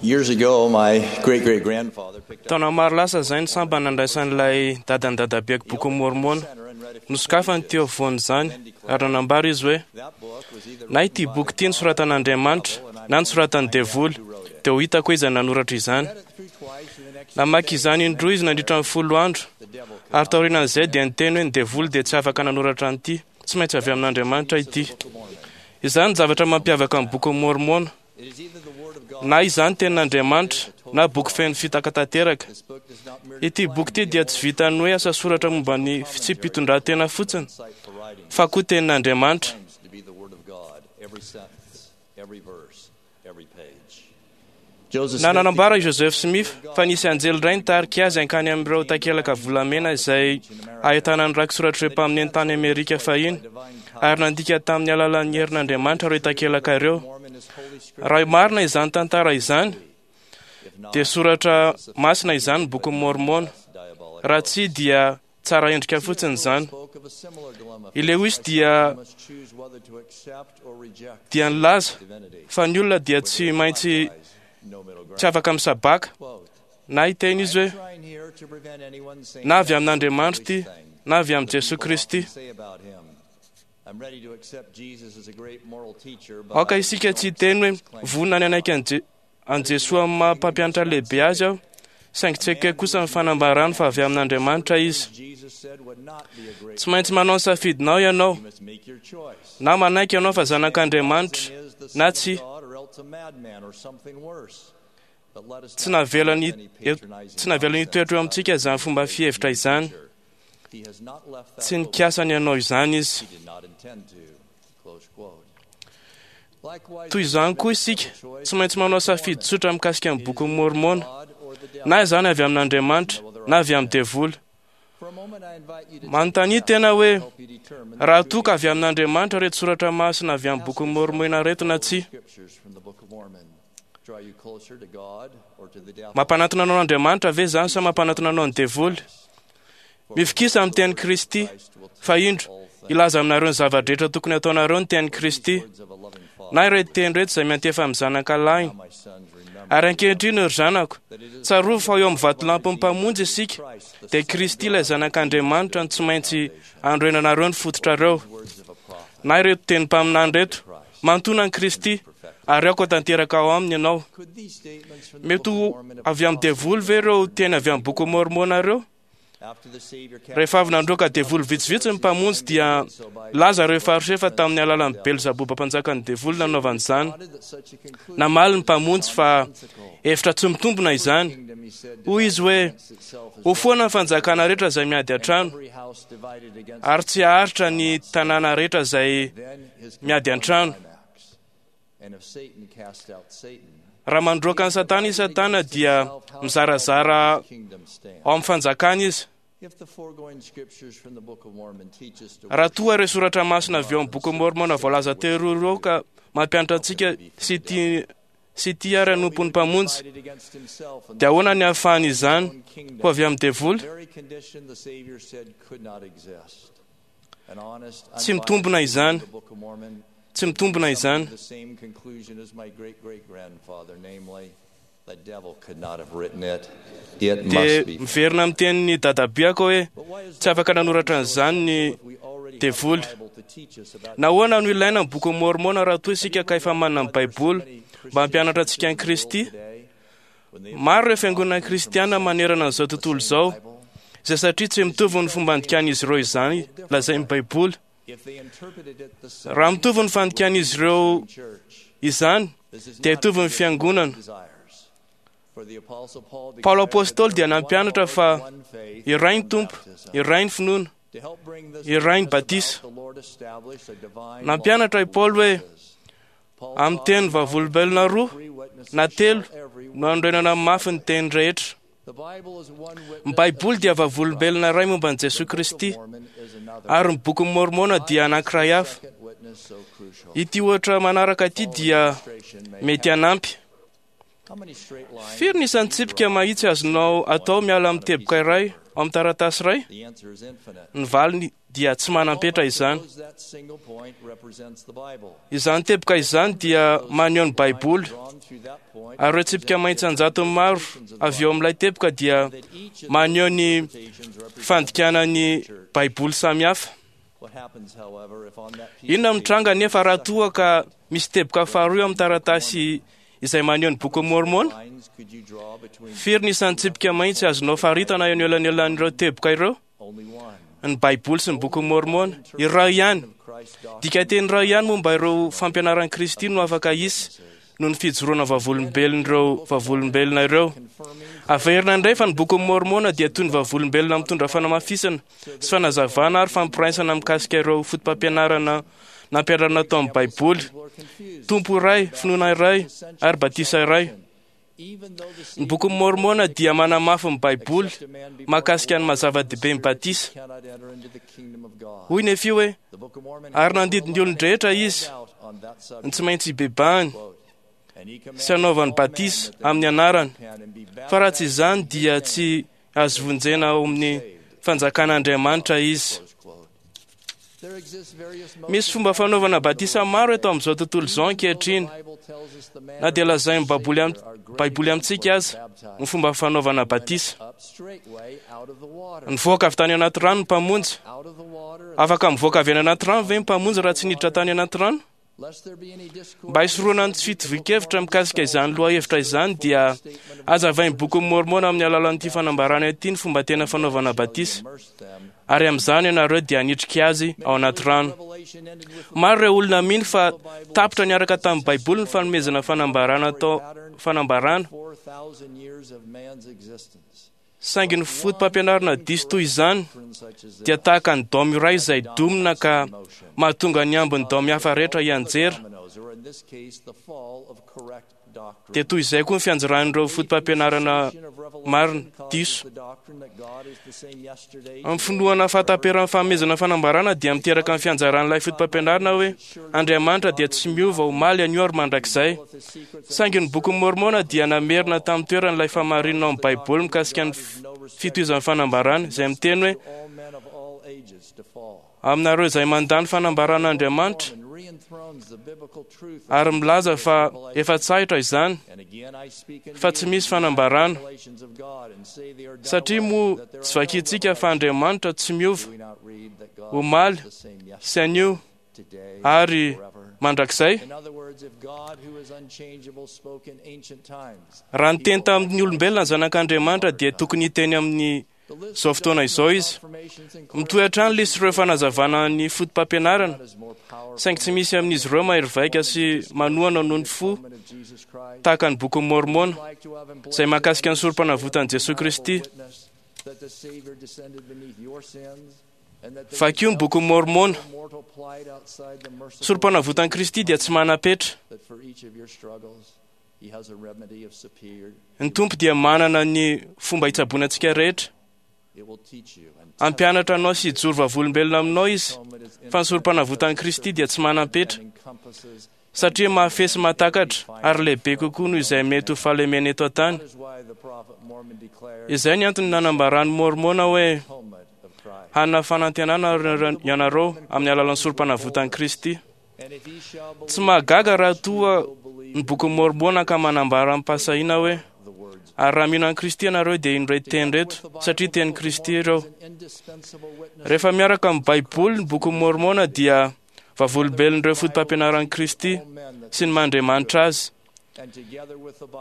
Years ago, my great great grandfather picked up Taona maro lasa izay ny samba nandraisan'ilay dadan'ny dadabeko boky Mormona. Nosokafany teo afovoan'izany ary nanambara izy hoe that book was either na ity boky ity nosoratan'Andriamanitra na nosoratan'ny devoly, dia ho hitako iza nanoratra izany. read it through twice in the next Namaky izany indroa izy nandritra ny 10 andro, the devil could ary taorian'izay dia niteny hoe ny devoly dia tsy afaka nanoratra an'ity, tsy maintsy avy amin'Andriamanitra ity. Izany ny zavatra mampiavaka ny boky Mormona. It is either the word of God. Na izany tenin'Andriamanitra na boky feno fitaka tanteraka. This book does not merely Ity boky ity dia tsy vitan'ny hoe asa soratra momba ny fitsipi-pitondran-tena fotsiny, cite for writing. fa koa tenin'Andriamanitra. Claims to be the word of God. Every sentence, every verse, every page. Joseph Na Smith nanambara i Joseph Smith fa nisy anjely iray nitarika azy hankany amin'ireo takelaka volamena izay ahitana ny raki-soratr'ireo mpaminany tany Amerika fahiny, ary nandika tamin'ny alalan'ny herin'Andriamanitra ireo takelaka ireo. Mormon is Holy Scripture. Raha marina izany tantara izany, If not, dia soratra masina izany ny bokin'i Mormona. diabolic. Raha tsy dia tsara endrika fotsiny izany. Spoke of a similar dilemma. I Lewis dia Must choose whether to accept or reject dia nilaza divinity. fa ny olona dia tsy maintsy No middle ground. tsy afaka misabaka Quote, na hiteny izy hoe trying here to prevent anyone saying na avy amin'Andriamanitra ity na avy amin'i Jesoa people Kristy. often say about him. I'm ready to accept Jesus as a great moral teacher, but Aoka I isika don't tsy hiteny hoe accept his claim. vonona ny hanaiky an'i Je- an'i Jesoa amin'ny maha mpampianatra lehibe azy aho, saingy tsy ekeko kosa ny fanambarany fa avy amin'Andriamanitra izy. Jesus said would not be a great Tsy maintsy manao ny safidinao ianao, You must make your choice. na manaiky ianao fa zanak'Andriamanitra Is the Son na of tsy. God or else a madman or something worse. But let us Tsy not navelany believe any patronizing tsy navelany hitoetra eo amintsika izany fomba fihevitra izany. teacher. He has not left that Tsy open. nikasany hanao izany izy. He did not intend to. Close quote. Likewise, Toy izany koa isika, tsy maintsy manao safidy tsotra mikasika ny bokin'i Mormona, God or the devil. na izany avy amin'Andriamanitra na avy amin'ny devoly. For a moment, I invite you to Manontania tena hoe help you determine the raha true toa ka avy amin'Andriamanitra ireto soratra masina avy amin'ny bokin'i Mormona ireto na tsia. scriptures from the Book of Mormon. Draw you closer to God or to the devil. Mampanatona anao an'Andriamanitra ve izany sa mampanatona anao ny devoly? Mifikisa amin'ny tenin'i Kristy, fa indro, hilaza aminareo ny zava-drehetra tokony hataonareo ny tenin'i Kristy, Words of a loving father. na ireto teny ireto izay miantefa amin'ny zanaka lahiny. My sons, remember Ary ankehitriny ry zanako, that it is tsarovy fa eo amin'ny vatolampin'ny mpamonjy isika, dia Kristy ilay zanak'Andriamanitra no tsy maintsy androenanareo ny fototrareo. words of a prophet. Na ireto teny mpaminany ireto, mantona an'i Kristy, ary aoka tanteraka ao aminy ianao. Could these statements from the Mety Book ho of Mormon have avy amin'ny devoly ve ireo teny avy amin'ny boky Mormona ireo? after the Savior cast Rehefa avy nandroaka devoly vitsivitsy ny mpamonjy dia laza ireo fariseo tamin'ny alalan'ny Belzaboba mpanjakan'ny devoly nanaovany izany. noted that such a conclusion Namaly ny mpamonjy fa hevitra tsy mitombina izany. kingdom, he said, Hoy izy hoe against itself is ho foana ny fanjakana rehetra izay miady an-trano every house divided against ary tsy haharitra ny tanàna rehetra izay then his miady an-trano. climax. And if Satan cast out Satan, Raha mandroaka an'i Satana i Satana dia mizarazara kingdom stand. ao amin'ny fanjakana izy. If the foregoing scriptures from the Book of Mormon teach us to Raha toa ireo soratra masina avy eo amin'ny boky Mormona voalaza teo ireo ka mampianatra antsika sy tia sy tia ary hanompo ny mpamonjy, divided against himself and dia ahoana ny ahafahany izany own kingdom, ho avy amin'ny devoly? very condition the Savior said could not exist. An honest, Tsy mitombina izany. unbiased the Book of Mormon Tsy mitombina izany. the same conclusion as my great great grandfather, namely, the devil could not have written it. It Dia must be. miverina amin'ny tenin'ny dadabeako hoe But why is tsy afaka nanoratra an'izany ny if we already have devoly. the Bible to teach us about Nahoana no ilaina ny boky Mormona raha toa isika ka efa manana ny Baiboly mba hampianatra antsika an'i Kristy? today? When they Maro ireo fiangonana kristiana manerana an'izao tontolo izao, izay satria tsy mitovy ny fomba andikan'izy ireo izany lazain'ny Baiboly. if they interpreted it the same Raha mitovy ny fandikan'izy ireo church, izany, this is dia not hitovy ny fiangonana. desires. For the Apostle Paul Paolo declared Apôstôly that dia there is one nampianatra Lord, fa one faith, iray ny one Tompo, baptism. iray ny finoana. To help bring this iray ny oneness about, batisa. the Lord established a divine Nampianatra law i Paoly hoe of Paul amin'ny taught teny vavolombelona roa three witnesses na telo shall every no anorenana mafy ny teny rehetra. The Bible is one Ny witness Baiboly dia of Jesus vavolombelona iray momba an'i Christ. Jesoa The Book of Kristy, Mormon is another. ary ny bokin'i Mormona dia anankiray hafa. Second witness so crucial. Ity ohatra manaraka ity dia Illustration may mety help. hanampy. How many straight lines Firy ny isan'ny tsipika mahitsy azonao atao miala amin'ny teboka iray ao amin'ny taratasy iray? The answer is infinite. Ny valiny dia tsy manam-petra izany. Suppose that single point represents the Bible. Izany teboka izany dia maneho ny Baiboly. Drawn Ary ireo tsipika mahitsy an-jatony maro avy eo amin'ilay teboka dia maneho ny fandikana ny Baiboly samihafa. Inona no mitranga nefa raha toa ka misy teboka faharoa eo amin'ny taratasy izay maneho ny Bokin'i Môrmôna? Firy ny isan'ny tsipika mahitsy azonao faritana eo anelanelan'ireo teboka ireo? Ny Baiboly sy ny Bokin'i Môrmôna. Iray ihany. Dikanteny iray ihany momba ireo fampianaran'i Kristy no afaka hisy noho ny fijoroana vavolombelon'ireo vavolombelona ireo. Averina indray fa ny Bokin'i Môrmôna dia toy ny vavolombelona mitondra fanamafisana sy fanazavana ary fampiraisana mikasika ireo fotopampianarana nampianarina tao amin'ny Baiboly. Tompo iray, finoana iray ary batisa iray. Ny Bokin'i Môrmôna dia manamafy ny Baiboly mahakasika ny maha-zava-dehibe ny batisa. Hoy Nefia hoe, Ary nandidy ny olon-drehetra izy ny tsy maintsy hibebahany sy hanaovany batisa amin'ny anarany, fa raha tsy izany dia tsy azo vonjena ao amin'ny fanjakan'Andriamanitra izy. Misy fomba fanaovana batisa maro eto amin'izao tontolo izao ankehitriny, na dia lazain'ny Baiboly amintsika aza ny fomba fanaovana batisa. Nivoaka avy tany anaty rano ny Mpamonjy. Afaka mivoaka avy any anaty rano ve ny Mpamonjy raha tsy niditra tany anaty rano? Mba hisorohana ny tsy fitovian-kevitra mikasika izany lohahevitra izany dia hazavain'ny Bokin'i Môrmôna amin'ny alalan'ity fanambarana ity ny fomba tena fanaovana batisa. Ary amin'izany ianareo dia hanitrika azy ao anaty rano. Maro ireo olona mino fa tapitra niaraka tamin'ny Baiboly ny fanomezana fanambarana atao fanambarana. Saingy ny fotopampianarana diso toy izany dia tahaka ny daomy iray izay domina ka mahatonga ny ambin'ny daomy hafa rehetra hianjera. Dia toy izay koa ny fianjeran'ireo fotopampianarana marina diso. Amin'ny finoana fahataperan'ny fanomezana fanambarana dia miteraka ny fianjaran'ilay fotopampianarana hoe Andriamanitra dia tsy miova omaly, anio ary mandrakizay. Saingy ny Bokin'i Môrmôna dia namerina tamin'ny toerany ilay fahamarinana ao amin'ny Baiboly mikasika ny fitohizan'ny fanambarana, izay miteny hoe, Aminareo izay mandà ny fanambaran'Andriamanitra ary milaza fa efa tsahitra izany, fa tsy misy fanambarana, satria moa tsy vakintsika fa Andriamanitra tsy miova omaly sy anio ary mandrakizay? Raha niteny tamin'ny olombelona ny Zanak'Andriamanitra dia tokony hiteny amin'ny izao fotoana izao izy. Mitohy hatrany lisy ireo fanazavana ny fotopampianarana, saingy tsy misy amin'izy ireo mahery vaika sy manohana noho ny fo tahaka ny Bokin'i Môrmôna, izay mahakasika ny Sorompanavotan'i Jesoa Kristy. Vakio ny Bokin'i Môrmôna. Sorompanavotan'i Kristy dia tsy manam-petra. Ny Tompo dia manana ny fomba hitsaboana antsika rehetra. Hampianatra anao sy hijoro vavolombelona aminao Izy fa ny Sorompanavotan'i Kristy dia tsy manam-petra, satria mahafehy sy mahatakatra ary lehibe kokoa noho izay mety ho fahalemena eto an-tany. Izay ny antony nanambaran'i Môrmôna hoe, Hanana fanantenana ianareo amin'ny alalan'ny Sorompanavotan'i Kristy. Tsy mahagaga raha toa ny Bokin'i Môrmôna ka manambara amim-pahasahiana hoe, Ary raha mino an'i Kristy ianareo dia ino ireto teny ireto, satria tenin'i Kristy ireo. Rehefa miaraka amin'ny Baiboly ny Bokin'i Môrmôna dia vavolombelon'ireo fotopampianaran'i Kristy sy ny maha Andriamanitra Azy.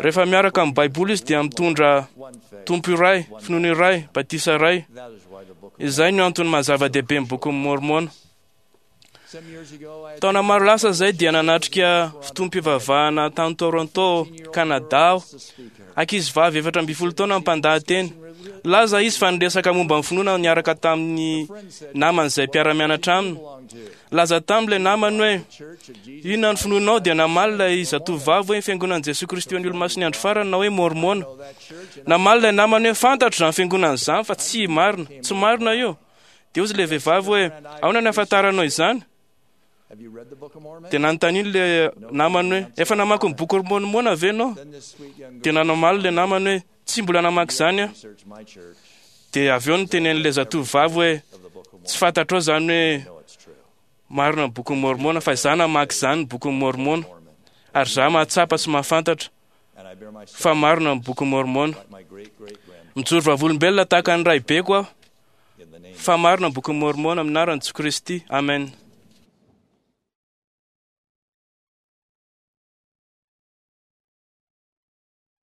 Rehefa miaraka amin'ny Baiboly izy dia mitondra Tompo iray, finoana iray, batisa iray. Izay no antony maha zava-dehibe ny Bokin'i Môrmôna. Taona maro lasa izay dia nanatrika fotoam-pivavahana tany Toronto, Canada aho. Ankizivavy 14 taona no mpandahateny. Nilaza izy fa niresaka momba ny finoana niaraka tamin'ny namany izay mpiara-mianatra aminy. Nilaza taminy ilay namany hoe, Inona ny finoanao? Dia namaly ilay zatovovavy hoe, Ny Fiangonan'i Jesoa Kristy ho an'ny Olomasin'ny Andro Farany na hoe Môrmôna. Namaly ilay namany hoe, Fantatro izany fiangonana izany fa tsy marina. Tsy marina io. Dia hozy ilay vehivavy hoe, Ahoana no ahafantaranao izany? Dia nanontaniany ilay namany hoe, Efa namaky ny boky Môrmôna ve ianao? Dia namaly ilay namany hoe, Tsy mbola namaky izany aho. Dia avy eo nitenen'ilay zatovovavy hoe, Tsy fantatrao izany hoe marina ny bokin'i Môrmôna, fa izaho namaky izany ny bokin'i Môrmôna. Ary izaho mahatsapa sy mahafantatra fa marina ny Bokin'i Môrmôna. Mijoro vavolombelona tahaka ny raibeko aho fa marina ny Bokin'i Môrmôna amin'ny anaran'i Jesoa Kristy. Amen.